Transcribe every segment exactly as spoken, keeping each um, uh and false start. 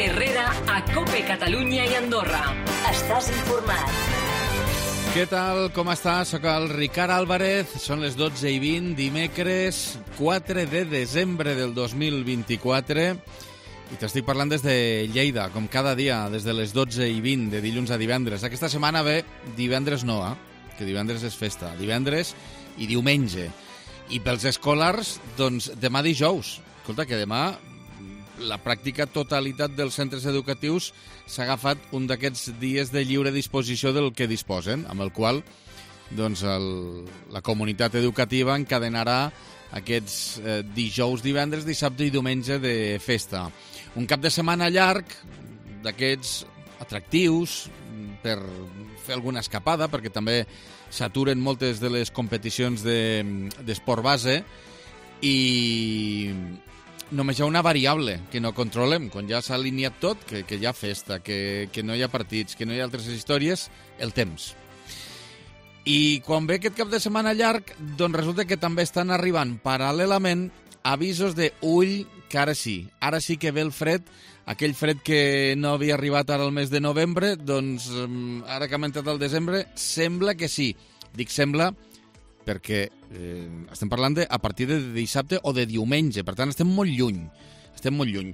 Herrera a COPE Catalunya i Andorra. Estàs informat. Què tal? Com estàs? Soc el Ricard Álvarez. Són les dotze i vint, dimecres quatre de desembre del dos mil vint-i-quatre. I t'estic parlant des de Lleida, com cada dia, des de les dotze i vint, de dilluns a divendres. Aquesta setmana ve divendres no, eh? Que divendres és festa. Divendres i diumenge. I pels escolars, doncs, demà dijous. Escolta, que demà la pràctica totalitat dels centres educatius s'ha agafat un d'aquests dies de lliure disposició del que disposen, amb el qual doncs, el, la comunitat educativa encadenarà aquests eh, dijous, divendres, dissabte i diumenge de festa. Un cap de setmana llarg d'aquests atractius per fer alguna escapada, perquè també s'aturen moltes de les competicions d'esport de, base i només hi ha una variable que no controlem. Quan ja s'ha alineat tot, que, que hi ha festa, que, que no hi ha partits, que no hi ha altres històries, el temps. I quan ve aquest cap de setmana llarg, doncs resulta que també estan arribant paral·lelament avisos de ull, que ara sí, ara sí que ve el fred, aquell fred que no havia arribat ara al mes de novembre, doncs ara que ha entrat el desembre, sembla que sí. Dic sembla perquè eh, estem parlant de a partir de dissabte o de diumenge, per tant estem molt lluny, estem molt lluny.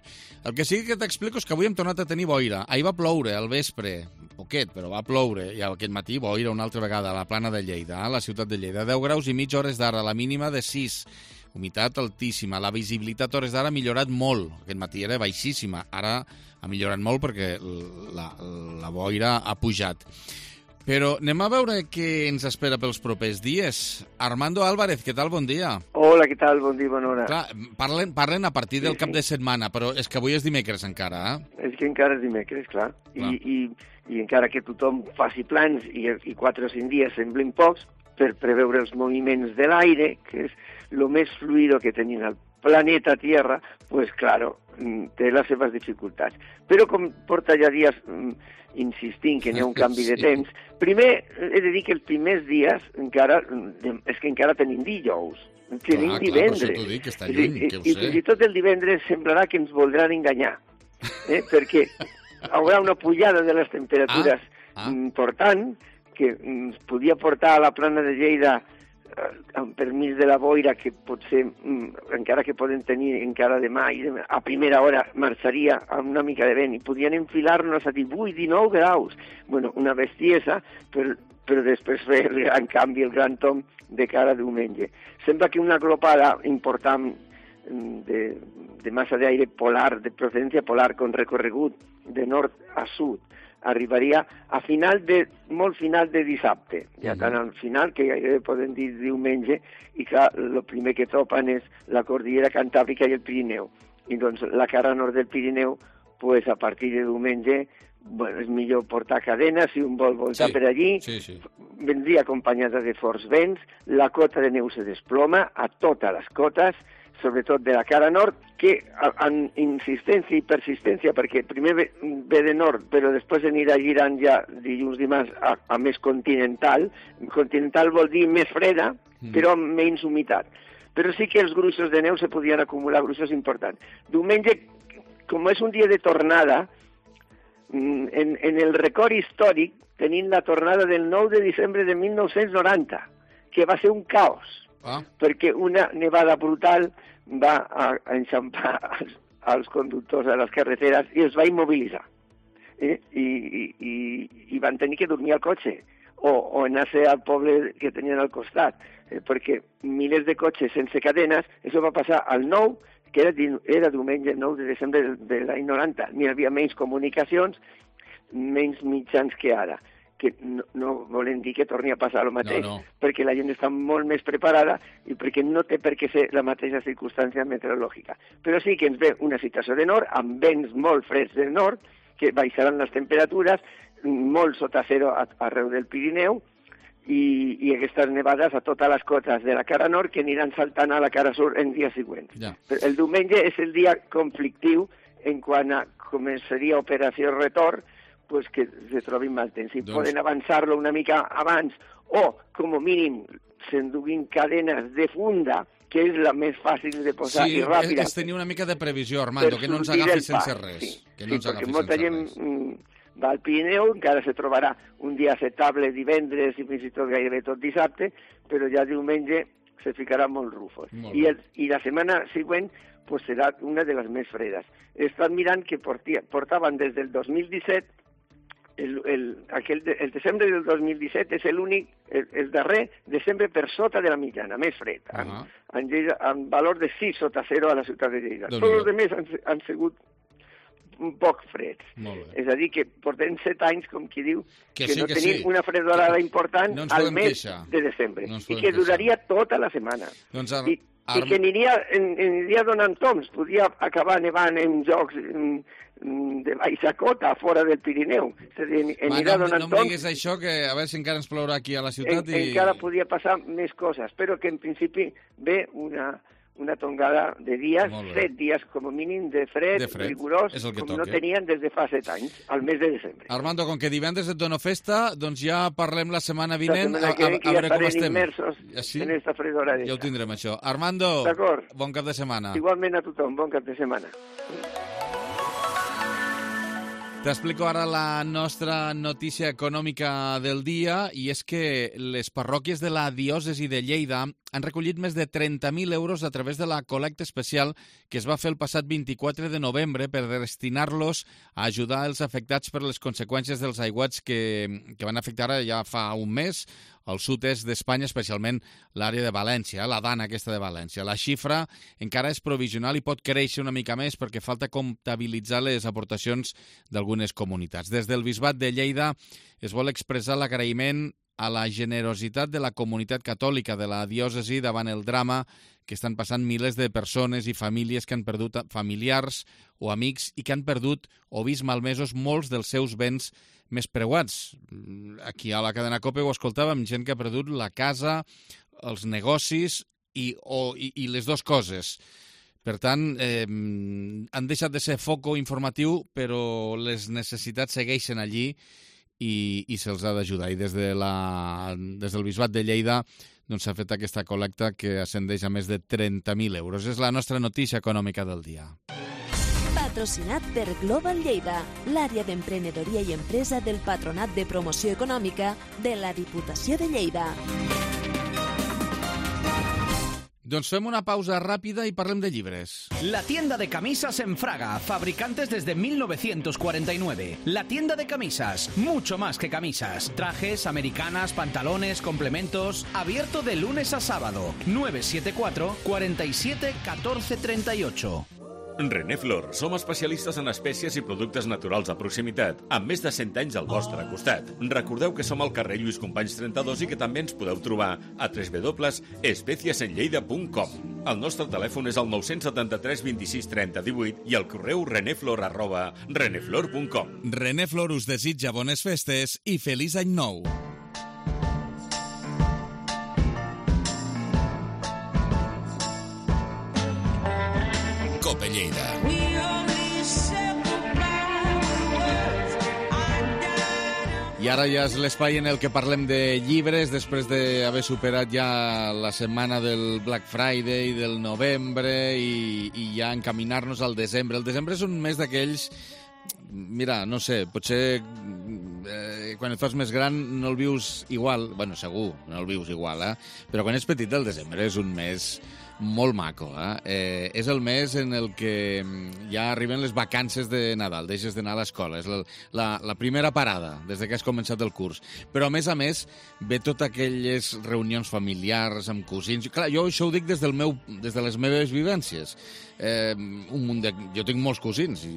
El que sí que t'explico és que avui hem tornat a tenir boira. Ahir va ploure al vespre, poquet, però va ploure, i aquest matí boira una altra vegada a la plana de Lleida, a la ciutat de Lleida. deu graus i mig hores d'ara, la mínima de sis, humitat altíssima, la visibilitat hores d'ara ha millorat molt. Aquest matí era baixíssima, ara ha millorat molt perquè la, la boira ha pujat. Però anem a veure què ens espera pels propers dies. Armando Álvarez, què tal? Bon dia. Hola, què tal? Bon dia, bona hora. Clar, parlen, parlen a partir del sí, cap sí. de setmana, però és que avui és dimecres encara, eh? És que encara és dimecres, clar. clar. I, i, I encara que tothom faci plans i, i quatre o cinc dies semblin pocs, per preveure els moviments de l'aire, que és el més fluido que tenim al planeta Tierra, pues claro, té les seves dificultats. Però com porta ja dies insistint que n'hi ha un canvi sí. de temps, primer he de dir que els primers dies encara és que encara tenim dijous, tenim clar, divendres. Clar, per això t'ho dic, que està lluny, I, que ho i, sé. I fins i tot el divendres semblarà que ens voldran enganyar, eh? perquè haurà una pujada de les temperatures ah, ah. important que ens podia portar a la plana de Lleida amb permís de la boira, que potser, encara que poden tenir encara demà i demà, a primera hora marxaria amb una mica de vent i podien enfilar-nos a divuit, dinou graus. Bueno, una bestiesa, però, però després fer el gran canvi, el gran tom de cara a diumenge. Sembla que una glopada important de, de massa d'aire polar, de procedència polar, con recorregut de nord a sud, arribaria a final de, molt final de dissabte, ja tant al final que gairebé poden dir diumenge, i clar, el primer que topen és la cordillera Cantàbrica i el Pirineu. I doncs la cara nord del Pirineu, pues, a partir de diumenge, bueno, és millor portar cadenes si un vol voltar sí, per allí, sí, sí. vendria acompanyada de forts vents, la cota de neu se desploma a totes les cotes, sobretot de la cara nord, que amb insistència i persistència, perquè primer ve, ve de nord, però després anirà girant ja dilluns dimarts a, a més continental. Continental vol dir més freda, mm. però amb menys humitat. Però sí que els gruixos de neu se podien acumular, gruixos importants. Diumenge, com és un dia de tornada, en, en el record històric tenim la tornada del nou de desembre de mil nou-cents noranta, que va ser un caos. Ah. Perquè una nevada brutal va a, a enxampar als, als conductors a les carreteres i els va immobilitzar. Eh? I, i, i van tenir que dormir al cotxe o, o anar-se al poble que tenien al costat, eh? perquè milers de cotxes sense cadenes, això va passar al nou, que era, era diumenge nou de desembre de, de l'any noranta. N'hi havia menys comunicacions, menys mitjans que ara. Que no, no volen dir que torni a passar el mateix, no, no. perquè la gent està molt més preparada i perquè no té per què ser la mateixa circumstància meteorològica. Però sí que ens ve una situació de nord, amb vents molt freds del nord, que baixaran les temperatures, molt sota zero arreu del Pirineu, i, i aquestes nevades a totes les cotes de la cara nord que aniran saltant a la cara sud en dies següents. Ja. El diumenge és el dia conflictiu en quant a començaria operació retorn, pues que se trobin mal temps. Si doncs... poden avançar-lo una mica abans o, com a mínim, s'enduguin cadenes de funda que és la més fàcil de posar sí, i ràpida. Sí, és tenir una mica de previsió, Armando, que no ens agafi sense res. Sí, que no sí ens perquè agafi molta sense gent res. mm, va al Pirineu, encara se trobarà un dia acceptable divendres i fins i tot gairebé tot dissabte, però ja diumenge se ficarà molt rufos. Molt I, el, I la setmana següent pues, serà una de les més fredes. He estat mirant que portia, portaven des del dos mil disset El, el, aquel de, el desembre del dos mil disset és l'únic, el, el darrer desembre per sota de la mitjana, més fred, uh -huh. en, en, Lleida, en valor de sis sota zero a la ciutat de Lleida. Tots els altres han, han sigut un poc freds. És a dir, que portem set anys, com qui diu, que, que sí, no que tenim sí. una fredorada important no al mes queixar. de desembre, no i que duraria queixar. tota la setmana. Doncs ar... I, I que aniria, aniria donant toms, podria acabar nevant en jocs en, de baixa cota, fora del Pirineu. És a dir, anirà no, donant no em toms. diguis això, que a veure si encara ens plourà aquí a la ciutat. En, i... Encara podria passar més coses, però que en principi ve una, una tongada de dies, set dies com a mínim de fred, de fred. rigorós, com toque. no tenien des de fa set anys, al mes de desembre. Armando, com que divendres et dono festa, doncs ja parlem la setmana vinent, la setmana que a, a, a, a veure ja com estem. immersos sí? en esta fredora. Ja ho tindrem, això. Armando, bon cap de setmana. Igualment a tothom, bon cap de setmana. T'explico ara la nostra notícia econòmica del dia, i és que les parròquies de la diòcesi de Lleida han recollit més de trenta mil euros a través de la col·lecta especial que es va fer el passat vint-i-quatre de novembre per destinar-los a ajudar els afectats per les conseqüències dels aiguats que, que van afectar ja fa un mes al sud-est d'Espanya, especialment l'àrea de València, la dana aquesta de València. La xifra encara és provisional i pot créixer una mica més perquè falta comptabilitzar les aportacions d'algunes comunitats. Des del Bisbat de Lleida es vol expressar l'agraïment a la generositat de la comunitat catòlica de la diòcesi davant el drama que estan passant milers de persones i famílies que han perdut familiars o amics i que han perdut o vist malmesos molts dels seus béns més preuats. Aquí a la cadena COPE ho escoltàvem, gent que ha perdut la casa, els negocis i, o, i, i les dues coses. Per tant, eh, han deixat de ser foco informatiu, però les necessitats segueixen allí i, i se'ls ha d'ajudar. I des, de la, des del Bisbat de Lleida doncs, s'ha fet aquesta col·lecta que ascendeix a més de trenta mil euros. És la nostra notícia econòmica del dia. Patrocinat per Global Lleida, l'àrea d'emprenedoria i empresa del Patronat de Promoció Econòmica de la Diputació de Lleida. Doncs fem una pausa ràpida y parlem de llibres. La tienda de camisas en Fraga, fabricantes desde mil novecientos cuarenta y nueve. La tienda de camisas, mucho más que camisas. Trajes, americanas, pantalones, complementos. Abierto de lunes a sábado. nueve siete cuatro, cuarenta y siete, catorce treinta y ocho. Reneflor, som especialistes en espècies i productes naturals de proximitat, amb més de cent anys al vostre costat. Recordeu que som al carrer Lluís Companys trenta-dos i que també ens podeu trobar a w w w punt especiesenlleida punt com. El nostre telèfon és el nou set tres, vint-i-sis, trenta, divuit i el correu reneflor arroba reneflor punt com. Reneflor us desitja bones festes i feliç any nou. Cope Lleida. I ara ja és l'espai en el que parlem de llibres, després d'haver superat ja la setmana del Black Friday, del novembre, i, i ja encaminar-nos al desembre. El desembre és un mes d'aquells... Mira, no sé, potser eh, quan et fas més gran no el vius igual, bueno, segur, no el vius igual, eh? Però quan ets petit el desembre és un mes molt maco, eh? eh? És el mes en el que ja arriben les vacances de Nadal, deixes d'anar a l'escola, és la, la, la primera parada des de que has començat el curs. Però a més a més ve totes aquelles reunions familiars amb cosins. Clar, jo això ho dic des, del meu, des de les meves vivències. Eh, un munt de... Jo tinc molts cosins i,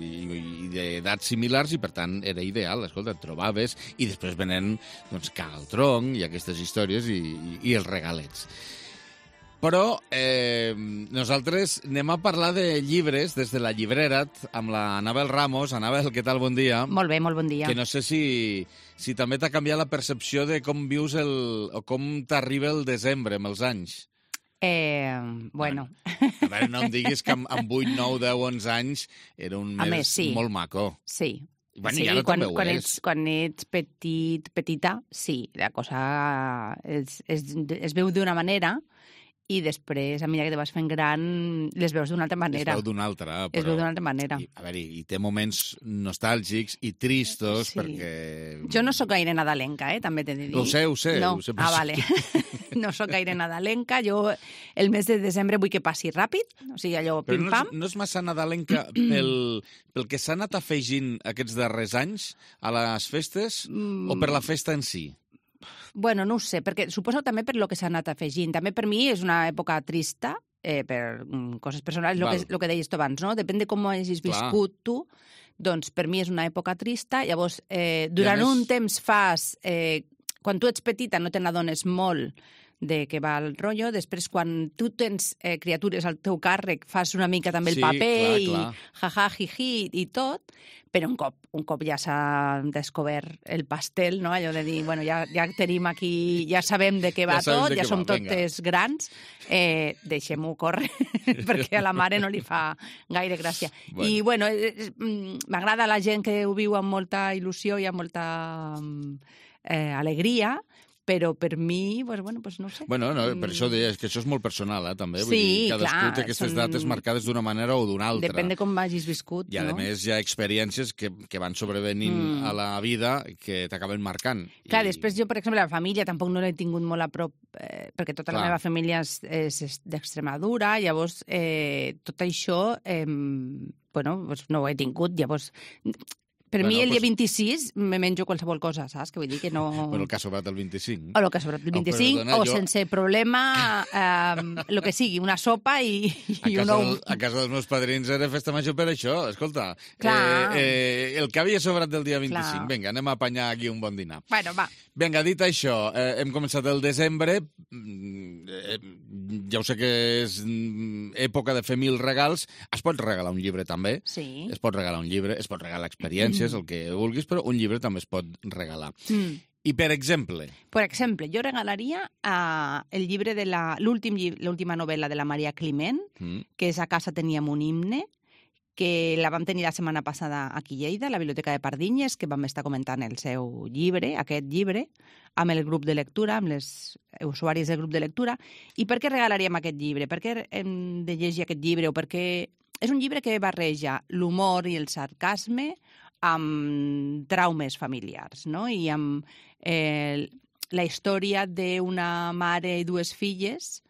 i d'edats similars i per tant era ideal, escolta, et trobaves i després venen doncs, caga el tronc i aquestes històries i, i, i els regalets. Però eh, nosaltres anem a parlar de llibres des de la llibrera amb la Anabel Ramos. Anabel, què tal? Bon dia. Molt bé, molt bon dia. Que no sé si, si també t'ha canviat la percepció de com vius el, o com t'arriba el desembre amb els anys. Eh, bueno. A veure, no em diguis que amb, amb vuit, nou, deu, onze anys era un mes més, sí. molt maco. Sí. Bueno, sí, i ara quan, també ho quan és. ets, quan ets petit, petita, sí, la cosa es, es, es veu d'una manera i després, a mesura que te vas fent gran, les veus d'una altra manera. Es veu d'una altra, però... Es veu d'una altra manera. I, a veure, i té moments nostàlgics i tristos, Sí. perquè... Jo no sóc gaire nadalenca, eh, també t'he de dir. Ho sé, ho sé. No. Ho sé, Ah, però- vale. No sóc gaire nadalenca. Jo el mes de desembre vull que passi ràpid, o sigui, allò Però no pim-pam. és, no és massa nadalenca pel, pel que s'ha anat afegint aquests darrers anys a les festes Mm. o per la festa en si? Bueno, no ho sé, perquè suposo també per lo que s'ha anat afegint. També per mi és una època trista, eh, per mm, coses personals, el Val. que, lo que deies tu abans, no? Depèn de com ho hagis Clar. viscut tu, doncs per mi és una època trista. Llavors, eh, durant més- un temps fas... Eh, quan tu ets petita no te n'adones molt de què va el rotllo. Després, quan tu tens eh, criatures al teu càrrec, fas una mica també el Sí, paper clar, i clar. jaja, jiji i tot, però un cop, un cop ja s'ha descobert el pastel, no? Allò de dir, bueno, ja, ja tenim aquí, ja sabem de què va Ja sabem tot, de ja què som va, vinga. totes grans, eh, deixem-ho córrer, perquè a la mare no li fa gaire gràcia. Bueno. I, bueno, eh, eh, mm, m'agrada la gent que ho viu amb molta il·lusió i amb molta mm, eh, alegria, però per mi, pues, bueno, pues no ho sé. Bueno, no, per Mm, això deia, és que això és molt personal, eh, també. Vull Sí, dir, cadascú clar, té aquestes són- dates marcades d'una manera o d'una altra. Depèn de com hagis viscut, I, a no? més, hi ha experiències que, que van sobrevenint Mm. a la vida que t'acaben marcant. Clar, I- després jo, per exemple, la família tampoc no l'he tingut molt a prop, eh, perquè tota Clar. la meva família és, és, és d'Extremadura, llavors eh, tot això, eh, bueno, doncs no ho he tingut, llavors... Per Bueno, mi el dia pues- vint-i-sis me menjo qualsevol cosa, saps? Que vull dir que no... Bueno, el que ha sobrat el vint-i-cinc. O el que ha sobrat el Oh, vint-i-cinc, perdona, o jo- sense problema, eh, el que sigui, una sopa i, A i un casa, ou. del, a casa dels meus padrins era festa major per això, escolta. Clar. Eh, eh, el que havia sobrat del dia vint-i-cinc, Clar. vinga, anem a apanyar aquí un bon dinar. Bueno, va. Vinga, dit això, eh, hem començat el desembre, mm, eh, ja ho sé que és mm, època de fer mil regals, es pot regalar un llibre també, Sí. es pot regalar un llibre, es pot regalar experiències, el que vulguis, però un llibre també es pot regalar. Mm. I, per exemple, Per exemple, jo regalaria uh, el llibre de la... l'últim lli- l'última novel·la de la Maria Climent, mm, que és A casa teníem un himne, que la vam tenir la setmana passada aquí a Lleida, a la Biblioteca de Pardinyes, que vam estar comentant el seu llibre, aquest llibre, amb el grup de lectura, amb les usuaris del grup de lectura. I per què regalaríem aquest llibre? Per què hem de llegir aquest llibre? O perquè és un llibre que barreja l'humor i el sarcasme amb traumes familiars, no? I amb eh, la història d'una mare i dues filles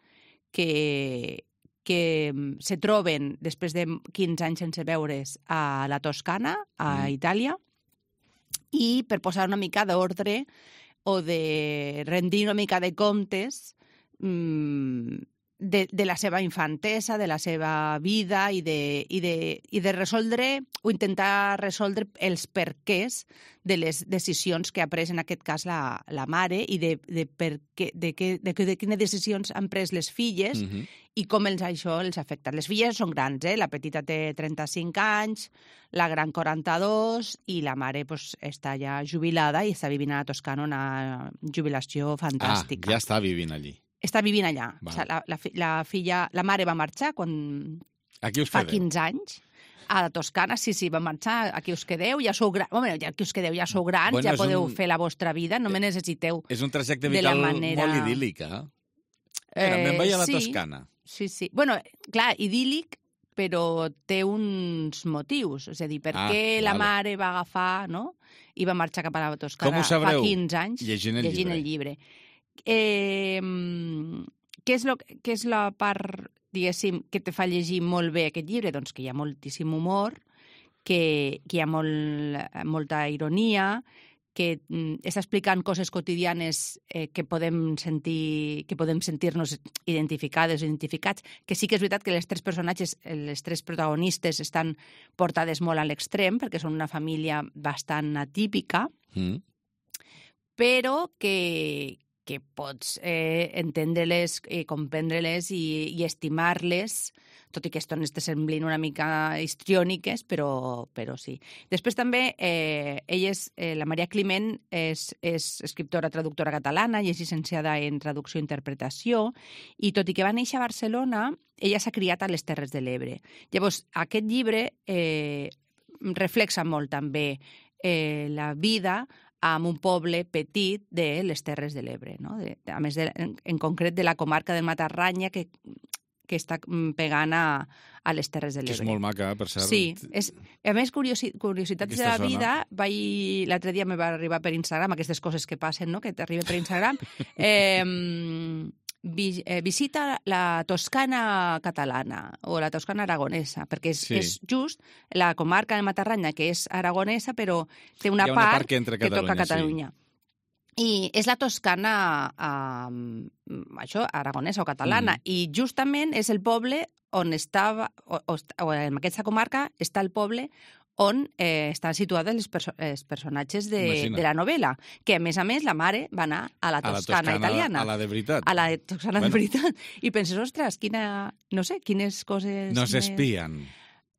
que, que se troben després de quinze anys sense veure's a la Toscana, a Mm. Itàlia, i per posar una mica d'ordre o de rendir una mica de comptes mmm, de, de la seva infantesa, de la seva vida i de, i, de, i de resoldre o intentar resoldre els perquès de les decisions que ha pres en aquest cas la, la mare i de, de, per què, de, que, de, que, de quines decisions han pres les filles mm -hmm. i com els, això els afecta. Les filles són grans, eh? La petita té trenta-cinc anys, la gran quaranta-dos i la mare pues, està ja jubilada i està vivint a la Toscana una jubilació Ah, fantàstica. ja està vivint allí. Està vivint allà. Val. O sigui, la, la, fi- la filla, la mare va marxar quan Aquí us fa quedeu. quinze anys a la Toscana, sí, sí, va marxar, aquí us quedeu, ja sou grans, bueno, ja aquí us quedeu, ja sou grans, Bueno, ja és podeu un- fer la vostra vida, no me necessiteu. És un trajecte de la vital manera- molt idíl·lic, eh? Mira, me'n vaig a la sí, Toscana. Sí, sí. Bueno, clar, idíl·lic, però té uns motius. És a dir, per Ah, què la vale. mare va agafar, no?, i va marxar cap a la Toscana Com ho sabreu? fa quinze anys Llegint el llegint llibre. el llibre. Eh, què, és lo, què és la part, diguéssim, que te fa llegir molt bé aquest llibre? Doncs que hi ha moltíssim humor, que, que hi ha molt, molta ironia, que mm, està explicant coses quotidianes eh, que podem sentir que podem sentir-nos identificades o identificats, que sí que és veritat que les tres personatges, les tres protagonistes estan portades molt a l'extrem, perquè són una família bastant atípica, Mm. però que, que pots eh, entendre-les, eh, comprendre-les i, i estimar-les, tot i que estones te semblin una mica histriòniques, però, però sí. Després també, eh, ella és, eh, la Maria Climent és, és escriptora, traductora catalana i és llicenciada en traducció i interpretació, i tot i que va néixer a Barcelona, ella s'ha criat a les Terres de l'Ebre. Llavors, aquest llibre eh, reflexa molt també eh, la vida amb un poble petit de les Terres de l'Ebre, no? De, a més, de, en, en concret de la comarca del Matarranya, que, que està pegant a, a les Terres de l'Ebre. Que és molt maca, per cert. Sí. És, a més, curiosi, curiositats Aquesta de la zona. vida, vaig, l'altre dia me va arribar per Instagram, aquestes coses que passen, no?, que t'arriben per Instagram. eh, vi, eh, visita la Toscana catalana o la Toscana aragonesa, perquè és, Sí. és just la comarca del Matarranya, que és aragonesa, però té una, Hi ha una part, part que entra a que toca Catalunya, Catalunya. I és la Toscana, eh, això, aragonesa o catalana, Mhm. i justament és el poble on estava, o, o, o en aquesta comarca està el poble on eh, estan situades els, perso els personatges de, Imagina. de la novel·la, que a més a més la mare va anar a la A la Toscana, Toscana, italiana. a la de veritat. A la de Toscana Bueno. de veritat. I penses, ostres, quina... No sé, quines coses... No més- s'espien.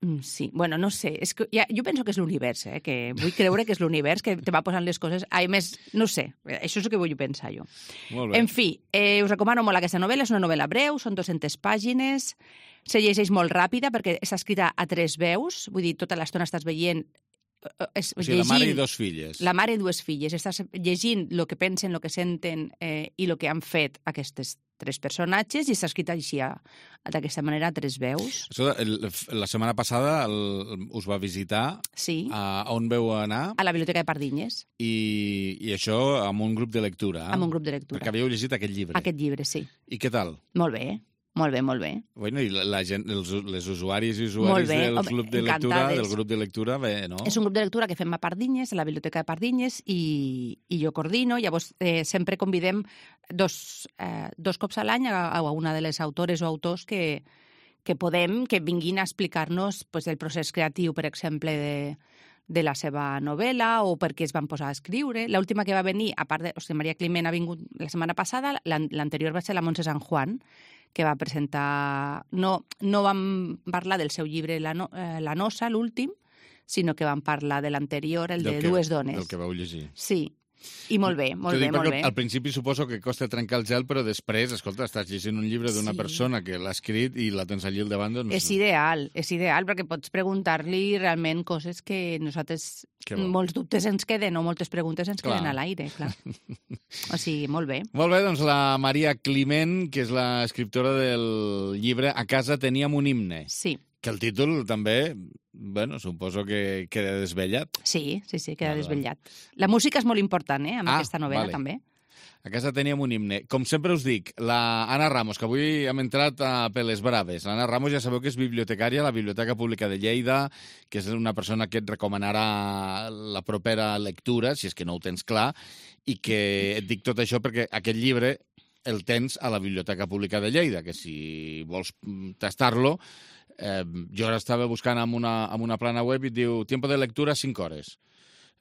Mm, Sí, bueno, no sé. És que ja, jo penso que és l'univers, eh? Que vull creure que és l'univers que te va posant les coses... A més, no sé, això és el que vull pensar jo. Molt bé. En fi, eh, us recomano molt aquesta novel·la. És una novel·la breu, són dues-centes pàgines, se llegeix molt ràpida perquè està escrita a tres veus, vull dir, tota l'estona estàs veient... eh, Es, O sigui, la mare i llegint- dos filles. la mare i dues filles. Estàs llegint el que pensen, el que senten eh, i el que han fet aquestes tres personatges i està escrit així, a- d'aquesta manera, a tres veus. Això, el, la setmana passada el, us va visitar. Sí, A, on veu anar? a la Biblioteca de Pardinyes, I, i això amb un grup de lectura. amb un grup de lectura. Perquè havíeu llegit aquest llibre. Aquest llibre, sí. I què tal? Molt bé, molt bé, molt bé. Bueno, i la, la gent, els, les usuaris i Molt usuaris bé, del home, club de lectura, encantades. del grup de lectura, bé, no? És un grup de lectura que fem a Pardinyes, a la Biblioteca de Pardinyes, i, i jo coordino. Llavors, eh, sempre convidem dos, eh, dos cops a l'any a, a una de les autores o autors que, que podem, que vinguin a explicar-nos pues, el procés creatiu, per exemple, de, de la seva novel·la o per què es van posar a escriure. L'última que va venir, a part de... O sigui, Maria Climent ha vingut la setmana passada, l'an- l'anterior va ser la Montse San Juan, que va presentar... No, no vam parlar del seu llibre La, no, eh, la Nosa, l'últim, sinó que vam parlar de l'anterior, el Del de que- Dues dones. Del que vau llegir. Sí, i molt bé, molt T'ho bé, dic molt perquè bé. Al principi suposo que costa trencar el gel, però després, escolta, estàs llegint un llibre d'una Sí. persona que l'ha escrit i la tens allí al davant, doncs... És ideal, és ideal, perquè pots preguntar-li realment coses que nosaltres, Que bo. molts dubtes ens queden o moltes preguntes ens Clar. queden a l'aire, clar. O sigui, molt bé. Molt bé, doncs la Maria Climent, que és l'escriptora del llibre A casa teníem un himne, Sí, que el títol també, bueno, suposo que queda desvellat. sí, sí, sí, queda Vale, desvetllat. La música és molt important, eh, amb Ah, aquesta novel·la, vale. també. A casa teníem un himne. Com sempre us dic, la Anna Ramos, que avui hem entrat a Peles Braves. L'Anna Ramos ja sabeu que és bibliotecària a la Biblioteca Pública de Lleida, que és una persona que et recomanarà la propera lectura, si és que no ho tens clar, i que et dic tot això perquè aquest llibre el tens a la Biblioteca Pública de Lleida, que si vols mm, tastar-lo, eh, jo ara estava buscant amb una, amb una plana web i et diu tiempo de lectura cinc hores.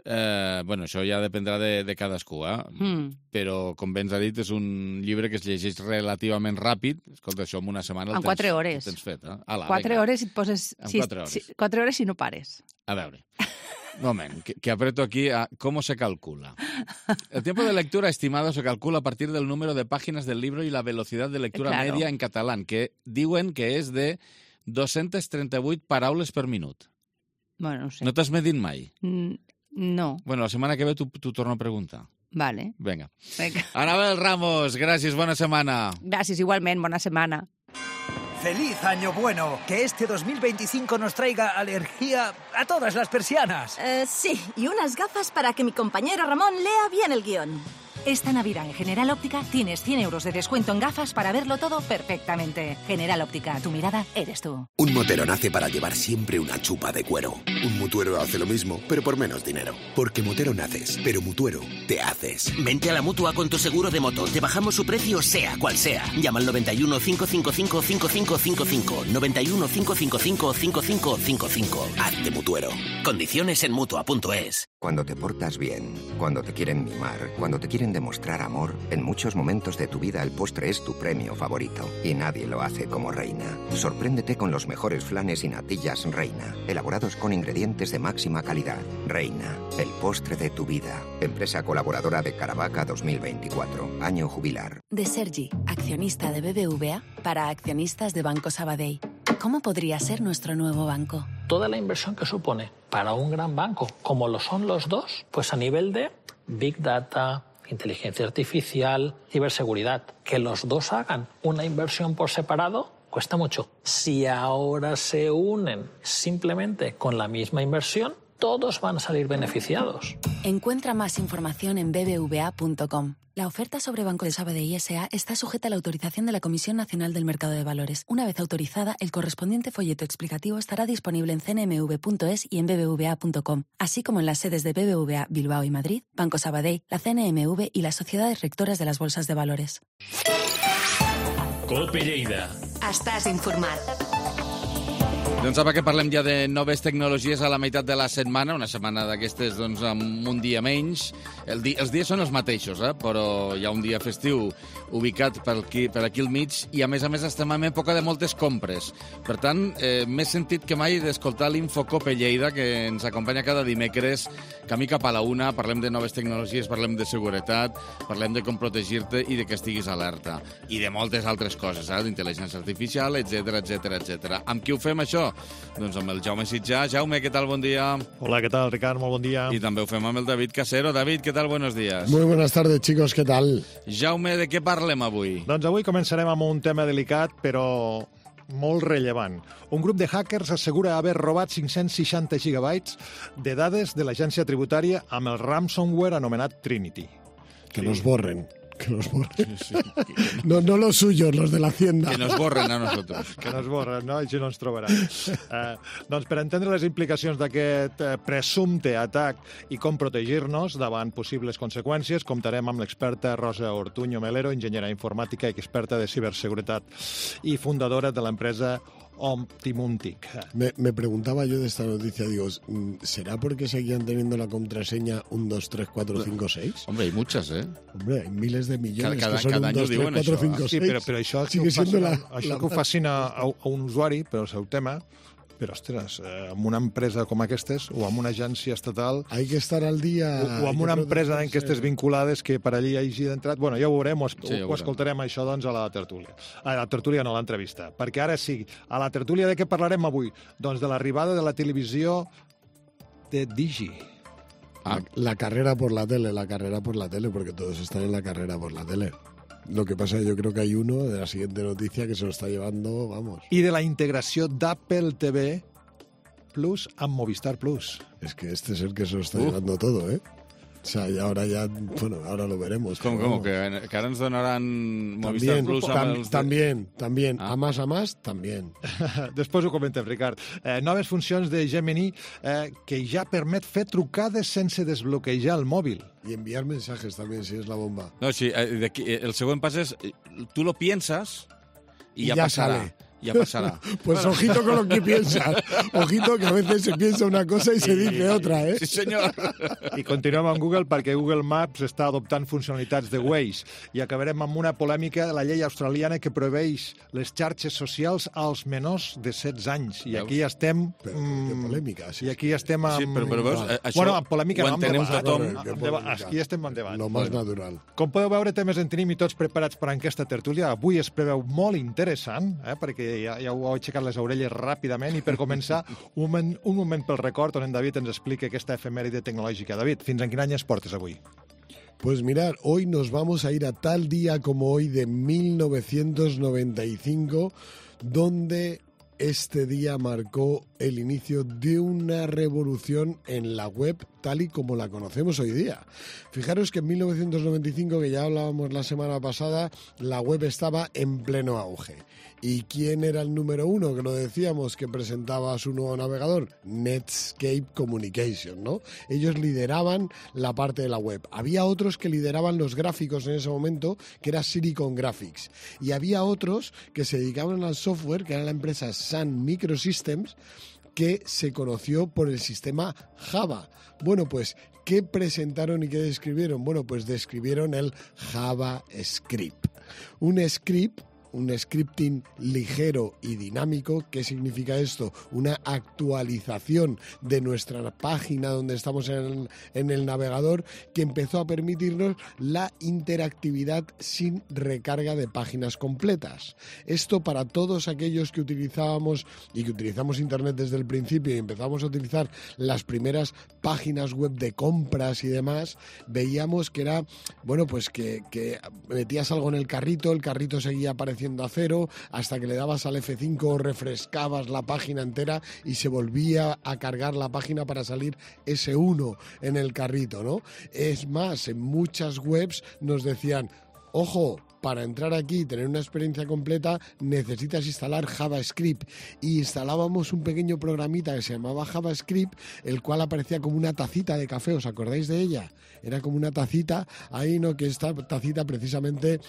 Eh, bueno, això ja dependrà de, de cadascú, eh? Mm. Però, com bé ens ha dit, és un llibre que es llegeix relativament ràpid. Escolta, això en una setmana el En tens, quatre hores. el tens fet, eh? Ala, Quatre vinga. hores i et poses... En si- quatre hores. Si, quatre hores si no pares. A veure, un moment, que, que aprieto aquí a cómo se calcula. El tiempo de lectura estimado se calcula a partir del número de páginas del libro y la velocidad de lectura Claro. media en catalán, que diuen que és de dos-centes trenta-vuit paraules per minut. Bueno, no sé. No t'has medit mai? Mm, No, Bueno, la setmana que ve t'ho t'ho torno a preguntar. vale. Vinga. Vinga. Anabel Ramos, gràcies, bona setmana. Gràcies, igualment, bona setmana. ¡Feliz Año Bueno! Que este dos mil veinticinco nos traiga alergia a todas las persianas. Eh, sí, y unas gafas para que mi compañero Ramón lea bien el guión. Esta Navidad en General Óptica tienes cien euros de descuento en gafas para verlo todo perfectamente. General Óptica, tu mirada eres tú. Un motero nace para llevar siempre una chupa de cuero. Un mutuero hace lo mismo, pero por menos dinero. Porque motero naces, pero mutuero te haces. Vente a la Mutua con tu seguro de moto. Te bajamos su precio sea cual sea. Llama al noventa y uno, cinco cinco cinco, cinco cinco cinco cinco. noventa y uno, cinco cinco cinco, cinco cinco cinco cinco. Hazte mutuero. Condiciones en Mutua punto es. Cuando te portas bien, cuando te quieren mimar, cuando te quieren demostrar amor, en muchos momentos de tu vida el postre es tu premio favorito. Y nadie lo hace como Reina. Sorpréndete con los mejores flanes y natillas Reina, elaborados con ingredientes de máxima calidad. Reina, el postre de tu vida. Empresa colaboradora de Caravaca dos mil veinticuatro. Año jubilar. De Sergi, accionista de B B V A, para accionistas de Banco Sabadell. ¿Cómo podría ser nuestro nuevo banco? Toda la inversión que supone para un gran banco, como lo son los dos, pues a nivel de Big Data, inteligencia artificial, ciberseguridad. Que los dos hagan una inversión por separado cuesta mucho. Si ahora se unen simplemente con la misma inversión, todos van a salir beneficiados. Encuentra más información en b b v a punto com. La oferta sobre Banco de Sabadell S A está sujeta a la autorización de la Comisión Nacional del Mercado de Valores. Una vez autorizada, el correspondiente folleto explicativo estará disponible en c n m v punto es y en b b v a punto com, así como en las sedes de B B V A Bilbao y Madrid, Banco Sabadell, la C N M V y las sociedades rectoras de las bolsas de valores. Cope Lleida. Estàs informat. Doncs apa, que parlem ja de noves tecnologies a la meitat de la setmana, una setmana d'aquestes doncs, amb un dia menys. El di els dies són els mateixos, eh? Però hi ha un dia festiu ubicat per aquí, per aquí al mig i, a més a més, estem en època de moltes compres. Per tant, eh, més sentit que mai d'escoltar l'Infocope Lleida, que ens acompanya cada dimecres, camí cap a la una, parlem de noves tecnologies, parlem de seguretat, parlem de com protegir-te i de que estiguis alerta. I de moltes altres coses, eh? D'intel·ligència artificial, etcètera, etcètera, etcètera. Amb qui ho fem, això? Doncs amb el Jaume Sitjà. Jaume, què tal? Bon dia. Hola, ¿qué tal, Ricard? Molt bon dia. I també ho fem amb el David Casero. David, què tal? Buenos días. Muy buenas tardes, chicos, ¿qué tal? Jaume, de què parlem avui? Doncs avui començarem amb un tema delicat, però molt rellevant. Un grup de hackers assegura haver robat cinc-cents seixanta gigabytes de dades de l'agència tributària amb el ransomware anomenat Trinity. Que sí. Nos borren. Que nos borren. Sí, sí. No, no los suyos, los de la Hacienda. Que nos borren a nosotros. Que nos borren, no? Així no ens trobaran. Eh, doncs per entendre les implicacions d'aquest eh, presumpte atac i com protegir-nos davant possibles conseqüències, comptarem amb l'experta Rosa Ortuño Melero, enginyera informàtica i experta de ciberseguretat i fundadora de l'empresa Optimuntic. Me, me preguntaba yo de esta noticia, digo, ¿será porque seguían teniendo la contraseña uno, dos, tres, cuatro, cinco, seis? Hombre, hay muchas, ¿eh? Hombre, hay miles de millones cada, que son cada uno, dos, tres, cuatro, cinco, seis. Sí, però, però això, Sigue que ho siendo facin, la, això la... que ho facin a, a, a un usuari, però el seu tema, però, ostres, eh, amb una empresa com aquestes, o amb una agència estatal... Hay que estar al día... O, o amb una empresa en aquestes vinculades que per allí hagi d'entrat... Bueno, ja ho veurem, ho, sí, ho, ho escoltarem això, doncs, a la tertúlia. A la tertúlia, no, a l'entrevista. Perquè ara sí, a la tertúlia de què parlarem avui? Doncs de l'arribada de la televisió de Digi. Ah. La, la carrera por la tele, la carrera por la tele, porque todos están en la carrera por la tele. Lo que pasa es que yo creo que hay uno de la siguiente noticia que se lo está llevando, vamos. I de la integració d'Apple T V Plus amb Movistar Plus. Es que este es el que se lo está uh. llevando todo, ¿eh? O sea, y ahora ya, bueno, ahora lo veremos. ¿Cómo, cómo? ¿Que, que ahora nos donarán Movistar también, Plus? Tam, els... También, también. Ah. A más, a más, también. Després ho comentem, Ricard. Eh, noves funcions de Gemini eh, que ja permet fer trucades sense desbloquejar el mòbil. Y enviar mensajes también, si es la bomba. No, sí, eh, de aquí, el següent pas és, tú lo piensas y, y ya, ya pasará. Sale. Ya pasará. Pues bueno. Ojito con lo que piensas. Ojito que a veces se piensa una cosa y se dice otra, ¿eh? Sí, senyor. I continuem amb Google perquè Google Maps està adoptant funcionalitats de Waze. I acabarem amb una polèmica de la llei australiana que prohibeix les xarxes socials als menors de setze anys. I aquí estem... Però, mm, que polèmica. Sí, I aquí estem amb... Sí, però, però veus, això bueno, amb polèmica ho no, entenem amb tothom. debat. Aquí estem amb debat. Lo más natural. Com podeu veure, temes en tenim i tots preparats per a aquesta tertúlia. Avui es preveu molt interessant, eh, perquè ja, ja ho heu aixecat les orelles ràpidament, i per començar, un moment, un moment pel record on en David ens explica aquesta efemèride tecnològica. David, fins en quin any es portes avui? Pues mirar, hoy nos vamos a ir a tal día como hoy de mil novecientos noventa y cinco, donde este día marcó el inicio de una revolución en la web tal y como la conocemos hoy día. Fijaros que en mil novecientos noventa y cinco, que ya hablábamos la semana pasada, la web estaba en pleno auge. ¿Y quién era el número uno, que lo decíamos, que presentaba su nuevo navegador? Netscape Communication, ¿no? Ellos lideraban la parte de la web. Había otros que lideraban los gráficos en ese momento, que era Silicon Graphics. Y había otros que se dedicaban al software, que era la empresa Sun Microsystems, que se conoció por el sistema Java. Bueno, pues, ¿qué presentaron y qué describieron? Bueno, pues describieron el JavaScript. Un script un scripting ligero y dinámico. ¿Qué significa esto? Una actualización de nuestra página donde estamos en el, en el navegador, que empezó a permitirnos la interactividad sin recarga de páginas completas. Esto para todos aquellos que utilizábamos y que utilizamos Internet desde el principio y empezamos a utilizar las primeras páginas web de compras y demás, veíamos que era, bueno, pues que, que metías algo en el carrito, el carrito seguía apareciendo a cero, hasta que le dabas al efe cinco, refrescabas la página entera y se volvía a cargar la página para salir ese uno en el carrito, ¿no? Es más, en muchas webs nos decían, ojo, para entrar aquí y tener una experiencia completa necesitas instalar JavaScript. Y instalábamos un pequeño programita que se llamaba JavaScript, el cual aparecía como una tacita de café. ¿Os acordáis de ella? Era como una tacita, ahí no, que esta tacita precisamente...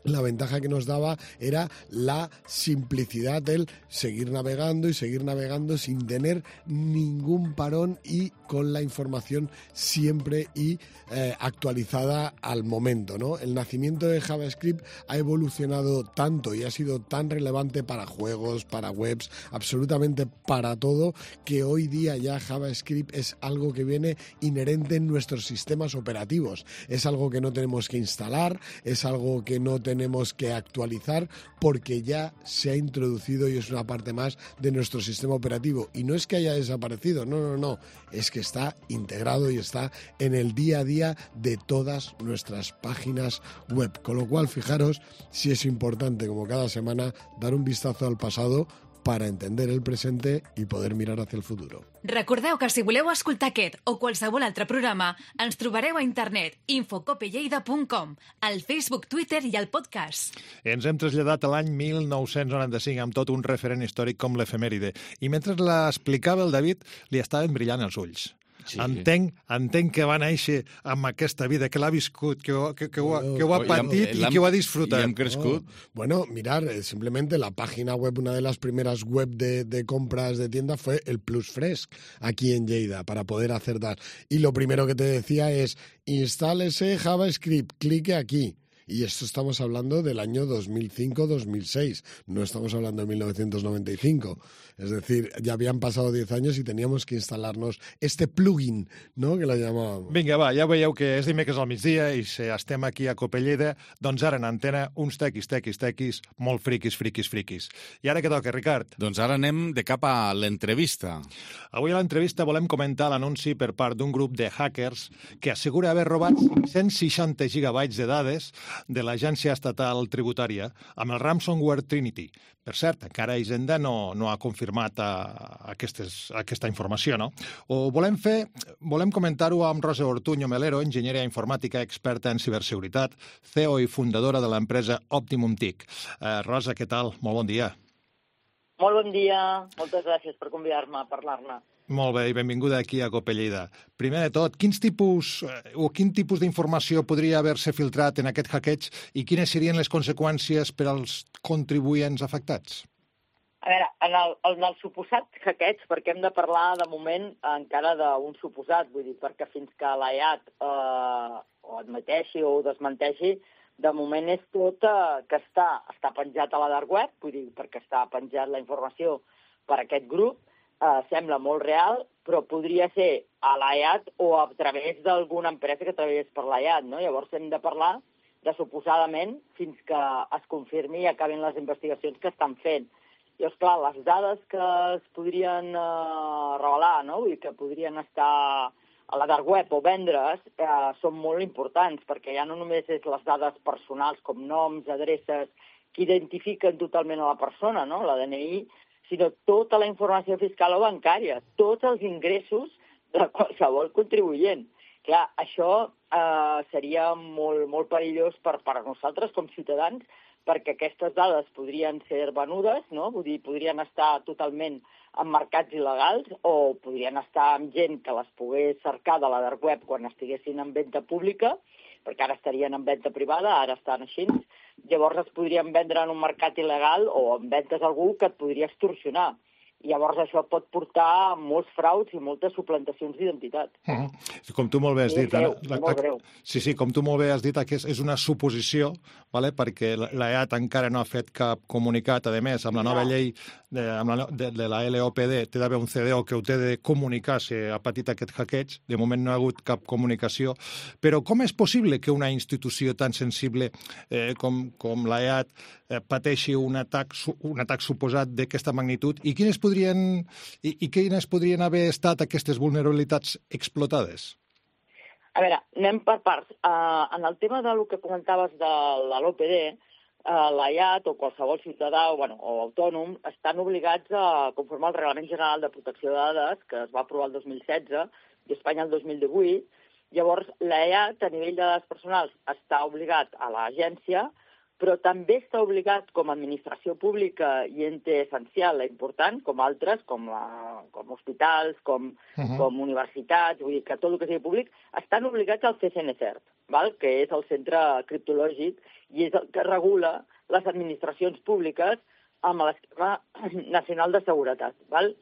La ventaja que nos daba era la simplicidad del seguir navegando y seguir navegando sin tener ningún parón y con la información siempre y eh, actualizada al momento, ¿no? El nacimiento de JavaScript ha evolucionado tanto y ha sido tan relevante para juegos, para webs, absolutamente para todo, que hoy día ya JavaScript es algo que viene inherente en nuestros sistemas operativos. Es algo que no tenemos que instalar, es algo que no tenemos tenemos que actualizar porque ya se ha introducido y es una parte más de nuestro sistema operativo. Y no es que haya desaparecido, no, no, no, es que está integrado y está en el día a día de todas nuestras páginas web. Con lo cual, fijaros si es importante, como cada semana, dar un vistazo al pasado para entender el presente i poder mirar hacia el futuro. Recordeu que si voleu escoltar aquest o qualsevol altre programa, ens trobareu a internet infocope lleida punt com, al Facebook, Twitter i al podcast. Ens hem traslladat a l'any mil nou-cents noranta-cinc amb tot un referent històric com l'efemèride. I mentre l'explicava el David, li estaven brillant els ulls. Sí. Entenc, entenc que va néixer amb aquesta vida, que l'ha viscut, que, que, que, ho, que ho ha patit i que ho ha disfrutat. I hem crescut. Oh. Bueno, mirar, simplemente la página web, una de las primeras web de, de compras de tienda fue el Plus Fresc, aquí en Lleida, para poder hacer tal. Y lo primero que te decía es, instálese JavaScript, clique aquí. Y esto estamos hablando del año dos mil cinco dos mil seis, no estamos hablando de mil novecientos noventa y cinco. Es decir, ya habían pasado diez años y teníamos que instalarnos este plugin, ¿no?, que la llamábamos. Vinga, va, ja veieu que és dimecres al migdia i si estem aquí a Copelleda, doncs ara en antena uns tequis, tequis, tequis, molt friquis, friquis, friquis. I ara què toca, Ricard? Doncs ara anem de cap a l'entrevista. Avui a l'entrevista volem comentar l'anunci per part d'un grup de hackers que assegura haver robat cent seixanta gigabytes de dades de l'Agència Estatal Tributària amb el ransomware Trinity. Per cert, encara Hisenda no, no ha confirmat a, a aquestes, a aquesta informació, no? O volem fer, volem comentar-ho amb Rosa Ortuño Melero, enginyera informàtica experta en ciberseguretat, C E O i fundadora de l'empresa Optimum T I C. Eh, Rosa, què tal? Molt bon dia. Molt bon dia. Moltes gràcies per convidar-me a parlar-ne. Molt bé, i benvinguda aquí a Copelleda. Primer de tot, quins tipus o quin tipus d'informació podria haver-se filtrat en aquest hackeig i quines serien les conseqüències per als contribuents afectats? A veure, en el, en el suposat hackeig, perquè hem de parlar de moment encara d'un suposat, vull dir, perquè fins que l'A I A T eh, o admeteixi o desmenteixi, de moment és tot eh, que està, està penjat a la dark web, vull dir, perquè està penjat la informació per aquest grup, Uh, sembla molt real, però podria ser a l'A I A T o a través d'alguna empresa que treballés per l'A I A T, no? Llavors hem de parlar de suposadament fins que es confirmi i acabin les investigacions que estan fent. I, esclar, les dades que es podrien uh, revelar, no? Vull dir que podrien estar a la dark web o vendre's, uh, són molt importants, perquè ja no només és les dades personals com noms, adreces, que identifiquen totalment a la persona, no? La D N I, sinó tota la informació fiscal o bancària, tots els ingressos de qualsevol contribuent. Clar, això eh, seria molt, molt perillós per, per a nosaltres com ciutadans, perquè aquestes dades podrien ser venudes, no? Vull dir, podrien estar totalment en mercats il·legals o podrien estar amb gent que les pogués cercar de la dark web quan estiguessin en venda pública, perquè ara estarien en venda privada, ara estan així. Llavors es podrien vendre en un mercat il·legal o en ventes a algú que et podria extorsionar. I llavors això pot portar a molts frauds i moltes suplantacions d'identitat. Uh -huh. Com tu molt bé has dit... Greu, la, molt greu. Sí, sí, com tu molt bé has dit, és, és una suposició, vale? Perquè l'E A T encara no ha fet cap comunicat. A més, amb la nova no. llei de, amb la, de, de la L O P D té d'haver un C D O que ho té de comunicar si ha patit aquest hackeig. De moment no ha hagut cap comunicació. Però com és possible que una institució tan sensible eh, com, com l'E A T eh, pateixi un atac, un atac suposat d'aquesta magnitud i quines podrien, i, i quines podrien haver estat aquestes vulnerabilitats explotades? A veure, anem per parts. Uh, en el tema del que comentaves de l'O P D, uh, l'E A T o qualsevol ciutadà o, bueno, o autònom estan obligats a conformar el Reglament General de Protecció de Dades, que es va aprovar el dos mil setze i Espanya el dos mil divuit. Llavors, l'E A T, a nivell de dades personals, està obligat a l'agència, però també està obligat com a administració pública i ente essencial important, com altres, com, la, com hospitals, com, uh-huh. com universitats, vull dir que tot el que sigui públic, estan obligats al C C N CERT, val? Que és el centre criptològic i és el que regula les administracions públiques amb l'esquema nacional de seguretat. Val?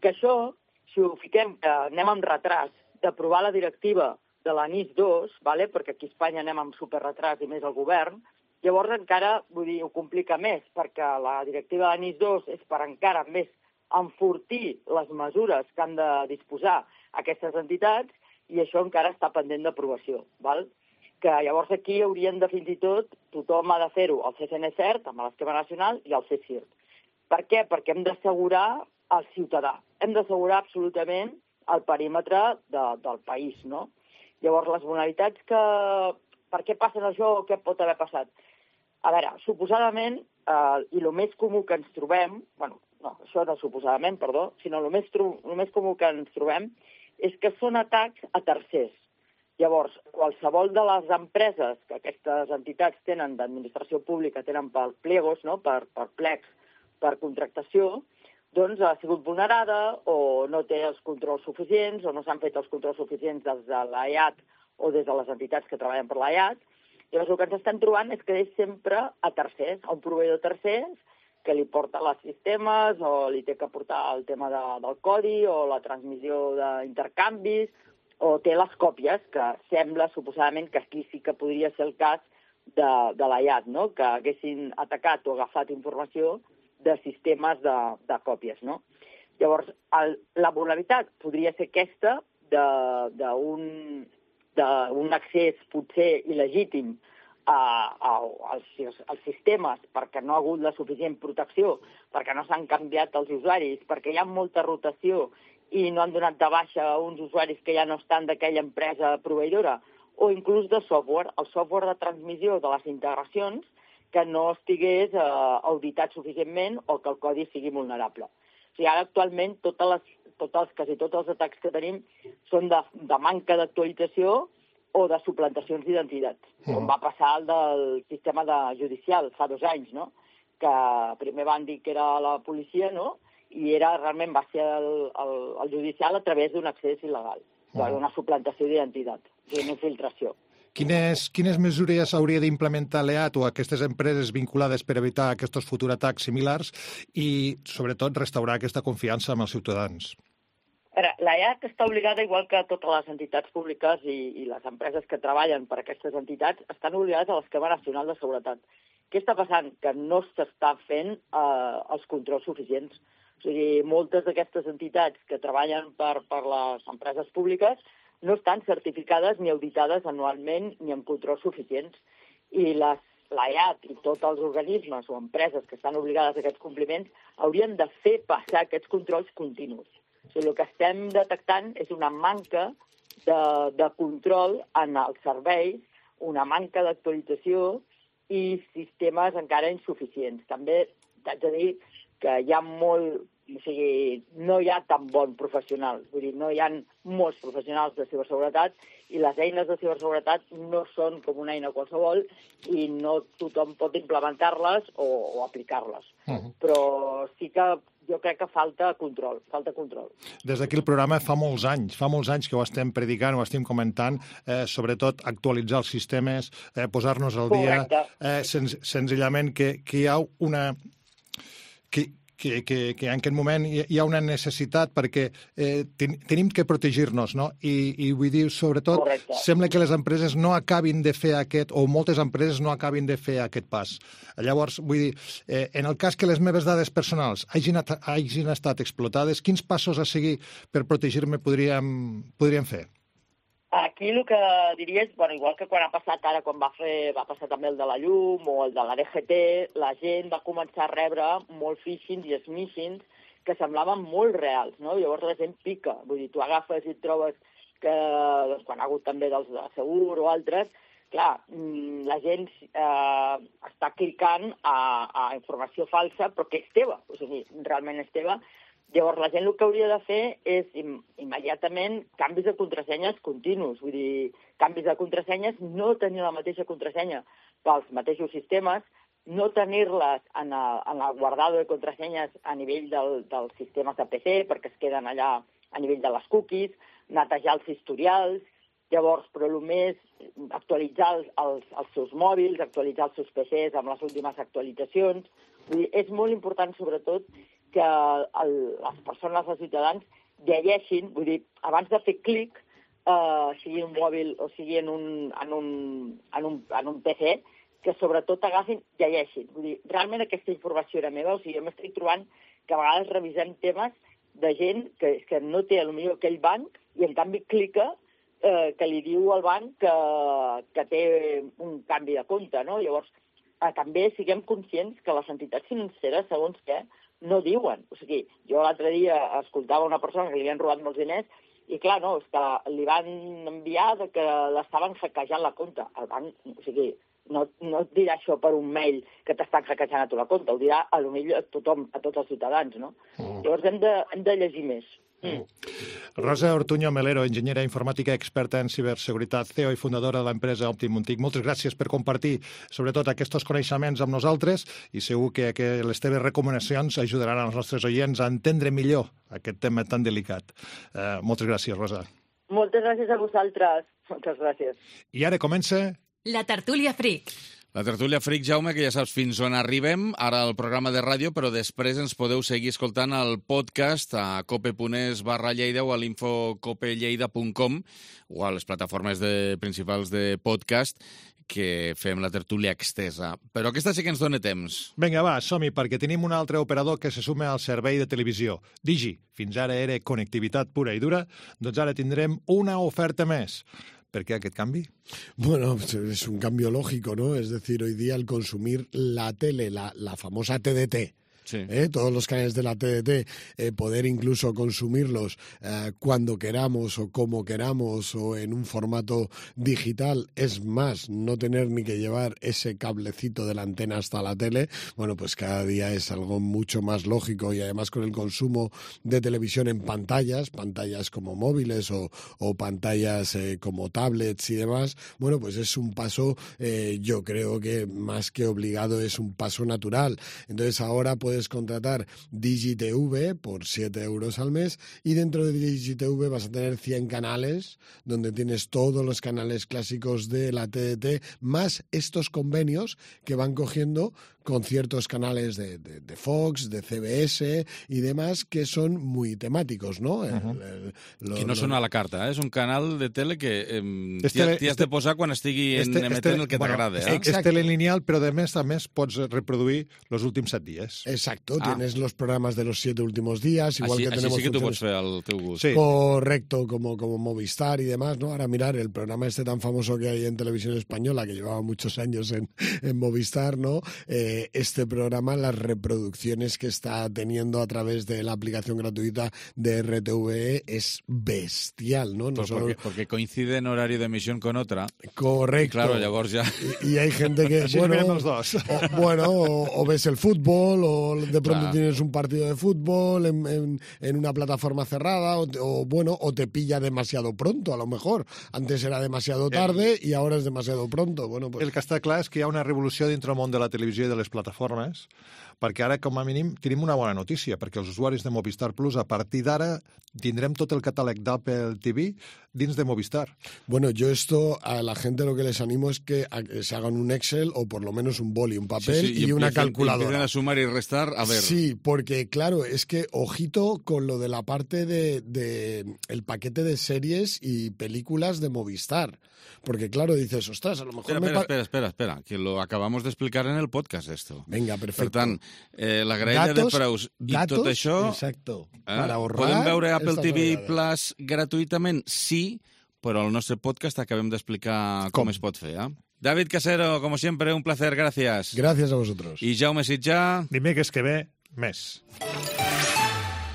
Que això, si ho fiquem, que anem amb retras d'aprovar la directiva de la NIS dos, vale? Perquè aquí a Espanya anem amb superretras i més el govern, llavors encara, vull dir, ho complica més, perquè la directiva de la NIS dos és per encara més enfortir les mesures que han de disposar aquestes entitats i això encara està pendent d'aprovació, val? Que llavors aquí haurien de, fins i tot, tothom ha de fer-ho, el C C N CERT, amb l'esquema nacional, i el C S I R T. Per què? Perquè hem d'assegurar el ciutadà. Hem d'assegurar absolutament el perímetre de, del país, no? Llavors, les vulnerabilitats que... Per què passen això o què pot haver passat? A veure, suposadament, eh, i el més comú que ens trobem, bueno, no, això no suposadament, perdó, sinó el més, el més comú que ens trobem és que són atacs a tercers. Llavors, qualsevol de les empreses que aquestes entitats tenen d'administració pública, tenen per pliegos, no? per, per plecs, per contractació, doncs ha sigut vulnerada o no té els controls suficients o no s'han fet els controls suficients des de l'E A T o des de les entitats que treballen per l'E A T. Llavors, el que ens estan trobant és que és sempre a tercers, a un proveïdor tercers que li porta els sistemes o li té que portar el tema de, del codi o la transmissió d'intercanvis o té les còpies, que sembla suposadament que aquí sí que podria ser el cas de, de l'E A T, no? Que haguessin atacat o agafat informació de sistemes de, de còpies, no? Llavors, el, la vulnerabilitat podria ser aquesta d'un d'un accés potser il·legítim a, a, als, als sistemes perquè no ha hagut la suficient protecció, perquè no s'han canviat els usuaris, perquè hi ha molta rotació i no han donat de baixa uns usuaris que ja no estan d'aquella empresa proveïdora, o inclús de software, el software de transmissió de les integracions que no estigués eh, auditat suficientment o que el codi sigui vulnerable. O sigui, ara actualment totes les tots els, quasi tots els atacs que tenim són de, de manca d'actualització o de suplantacions d'identitats, mm. com va passar el del sistema de judicial fa dos anys, no? Que primer van dir que era la policia, no? I era, realment va ser el, el, el judicial a través d'un accés il·legal, mm. d'una suplantació d'identitat, d'una infiltració. Quines, quines mesures hauria d'implementar l'E A T o aquestes empreses vinculades per evitar aquests futurs atacs similars i, sobretot, restaurar aquesta confiança amb els ciutadans? L'E A T està obligada, igual que totes les entitats públiques i, i les empreses que treballen per aquestes entitats, estan obligades a l'esquema nacional de seguretat. Què està passant? Que no s'està fent eh, els controls suficients. O sigui, moltes d'aquestes entitats que treballen per, per les empreses públiques no estan certificades ni auditades anualment ni amb controls suficients. I l'E A T i tots els organismes o empreses que estan obligades a aquests compliments haurien de fer passar aquests controls continus. O sigui, el que estem detectant és una manca de, de control en els serveis, una manca d'actualització i sistemes encara insuficients. També t'haig de dir que hi ha molt... O sigui, no hi ha tan bon professional. Vull dir, no hi ha molts professionals de ciberseguretat i les eines de ciberseguretat no són com una eina qualsevol i no tothom pot implementar-les o, o aplicar-les. Uh-huh. Però sí que jo crec que falta control, falta control. Des d'aquí el programa fa molts anys, fa molts anys que ho estem predicant, ho estem comentant, eh, sobretot actualitzar els sistemes, eh, posar-nos al dia, eh, sen senzillament que, que hi ha una... Que, que, que, que en aquest moment hi, hi ha una necessitat perquè eh, ten, tenim que protegir-nos, no? I, i vull dir, sobretot, Correcte. Sembla que les empreses no acabin de fer aquest, o moltes empreses no acabin de fer aquest pas. Llavors, vull dir, eh, en el cas que les meves dades personals hagin, hagin estat explotades, quins passos a seguir per protegir-me podríem, podríem fer? Aquí el que diria és, bueno, igual que quan ha passat ara, quan va fer, va passar també el de la llum o el de la D G T, la gent va començar a rebre molt phishings i smishings que semblaven molt reals, no? Llavors la gent pica, vull dir, tu agafes i et trobes que, doncs, quan ha hagut també dels de Segur o altres, clar, la gent eh, està clicant a, a informació falsa, però que és teva, o sigui, realment és teva. Llavors, la gent el que hauria de fer és im immediatament canvis de contrasenyes continus. Vull dir, canvis de contrasenyes, no tenir la mateixa contrasenya pels mateixos sistemes, no tenir-les en, en el guardado de contrasenyes a nivell del, dels sistemes de P C, perquè es queden allà a nivell de les cookies, netejar els historials, llavors, però el més actualitzar els, els, els seus mòbils, actualitzar els seus P Cs amb les últimes actualitzacions. Vull dir, és molt important, sobretot, que el, les persones, els ciutadans, llegeixin, vull dir, abans de fer clic, eh, sigui en un mòbil o sigui en un, en un, en un, en un P C, que sobretot agafin, llegeixin. Vull dir, realment aquesta informació era meva, o sigui, jo m'estic trobant que a vegades revisem temes de gent que, que no té potser aquell banc i en canvi clica eh, que li diu al banc que, que té un canvi de compte, no? Llavors, eh, també siguem conscients que les entitats financeres, segons què, no diuen. O sigui, jo l'altre dia escoltava una persona que li havien robat molts diners i, clar, no, és que li van enviar de que l'estaven hackejant la compte. El banc, o sigui, no, no et dirà això per un mail que t'estan hackejant a tu la compte, ho dirà a lo millor a tothom, a tots els ciutadans, no? Mm. Llavors hem de, hem de llegir més. Mm. Rosa Ortuño Melero, enginyera informàtica experta en ciberseguretat, C E O i fundadora de l'empresa Optimum TIC. Moltes gràcies per compartir, sobretot, aquests coneixements amb nosaltres i segur que, que les teves recomanacions ajudaran als nostres oients a entendre millor aquest tema tan delicat. Uh, moltes gràcies, Rosa. Moltes gràcies a vosaltres. Moltes gràcies. I ara comença... La tertúlia Freak. La tertúlia Freak, Jaume, que ja saps fins on arribem, ara al programa de ràdio, però després ens podeu seguir escoltant el podcast a cope.es barra Lleida o a l'infocopelleida punt com o a les plataformes de, principals de podcast que fem la tertúlia extesa. Però aquesta sí que ens dona temps. Vinga, va, som-hi, perquè tenim un altre operador que se suma al servei de televisió. Digi, fins ara era connectivitat pura i dura, doncs ara tindrem una oferta més. ¿Por qué aquest cambio? Bueno, es un cambio lógico, ¿no? Es decir, hoy día al consumir la tele, la, la famosa T D T, sí. ¿eh? Todos los canales de la T D T, eh, poder incluso consumirlos eh, cuando queramos o como queramos o en un formato digital, es más, no tener ni que llevar ese cablecito de la antena hasta la tele, bueno, pues cada día es algo mucho más lógico y además con el consumo de televisión en pantallas, pantallas como móviles o, o pantallas eh, como tablets y demás, bueno, pues es un paso, eh, yo creo que más que obligado es un paso natural. Entonces ahora pues puedes contratar DigiTV por siete euros al mes y dentro de DigiTV vas a tener cien canales donde tienes todos los canales clásicos de la T D T más estos convenios que van cogiendo con ciertos canales de, de, de Fox, de C B S y demás que son muy temáticos, ¿no? Uh-huh. el, el, lo, que no lo... són a la carta, eh? És un canal de tele que eh, este, t'hi has de posar quan estigui este, emetent este, el que bueno, t'agrada. Eh? És telelineal, però de més a més pots reproduir els últims set dies. Exacto, ah. tienes los programas de los siete últimos días, igual así, que tenemos... Así sí que tú puedes fer al teu gust. Sí. Correcto, como, como Movistar y demás, ¿no? Ahora mirar el programa este tan famoso que hay en Televisión Española, que llevaba muchos años en, en Movistar, ¿no? Eh, este programa, las reproducciones que está teniendo a través de la aplicación gratuita de R T V E es bestial, ¿no? no pues solo... porque, porque coincide en horario de emisión con otra. Correcto. Y claro, llavors ya... Y, y hay gente que, bueno, los dos. o, bueno o, o ves el fútbol, o de pronto claro. tienes un partido de fútbol en, en, en una plataforma cerrada, o, o bueno, o te pilla demasiado pronto, a lo mejor. Antes era demasiado tarde el, i ara és demasiado pronto. Bueno, pues... El que està clar és que hi ha una revolució dintre el món de la televisió i de les plataformes, perquè ara, com a mínim, tenim una bona notícia, perquè els usuaris de Movistar Plus, a partir d'ara, tindrem tot el catàleg d'Apple T V dins de Movistar. Bueno, yo esto a la gente lo que les animo es que se hagan un Excel o por lo menos un boli, un papel sí, sí, y, y una calculadora. Empiecen a sumar y restar, a ver. Sí, porque claro, es que ojito con lo de la parte de, de el paquete de series y películas de Movistar. Porque claro, dices, ostras, a lo mejor... Espera, me espera, espera, espera, espera, que lo acabamos de explicar en el podcast, esto. Venga, perfecto. Per tant, eh, la graella datos, de preus i datos, tot això... Exacto. Eh, Para ahorrar... Podem veure Apple T V vegades. Plus gratuïtament? Sí, però al nostre podcast acabem d'explicar com, com es pot fer, eh? David Casero, como siempre, un placer, gracias. Gracias a vosotros. I Jaume Sitjà... Dimecres que ve, més.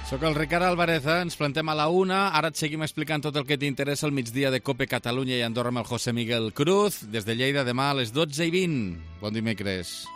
Soc el Ricard Álvarez, eh? Ens plantem a la una. Ara et seguim explicant tot el que t'interessa al migdia de COPE Catalunya i Andorra amb el José Miguel Cruz. Des de Lleida, demà a les dotze i vint. Bon dimecres.